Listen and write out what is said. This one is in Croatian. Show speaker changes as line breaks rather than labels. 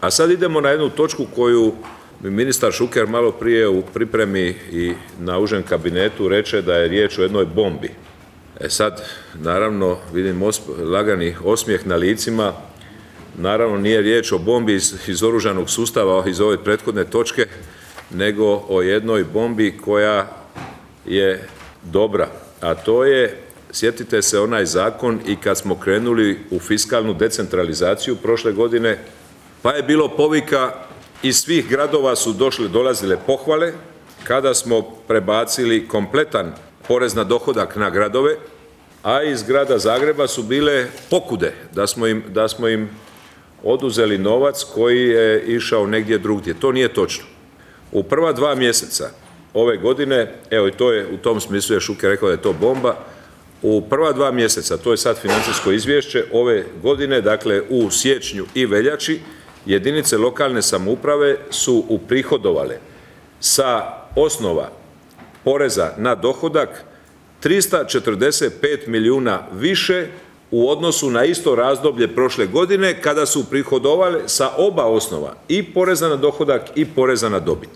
A sad idemo na jednu točku koju mi ministar Šuker malo prije u pripremi i na užem kabinetu reče da je riječ o jednoj bombi. Sad, naravno, vidim lagani osmijeh na licima, naravno nije riječ o bombi iz oružanog sustava iz ove prethodne točke, nego o jednoj bombi koja je dobra, a to je, sjetite se onaj zakon i kad smo krenuli u fiskalnu decentralizaciju prošle godine, pa je bilo povika, iz svih gradova su dolazile pohvale kada smo prebacili kompletan porez na dohodak na gradove, a iz grada Zagreba su bile pokude da smo im oduzeli novac koji je išao negdje drugdje. To nije točno. U prva 2 mjeseca ove godine, evo i to je, u tom smislu je Šuker rekao da je to bomba, u prva 2 mjeseca, to je sad financijsko izvješće ove godine, dakle u siječnju i veljači, jedinice lokalne samouprave su uprihodovale sa osnova poreza na dohodak 345 milijuna više u odnosu na isto razdoblje prošle godine kada su uprihodovale sa oba osnova, i poreza na dohodak i poreza na dobit.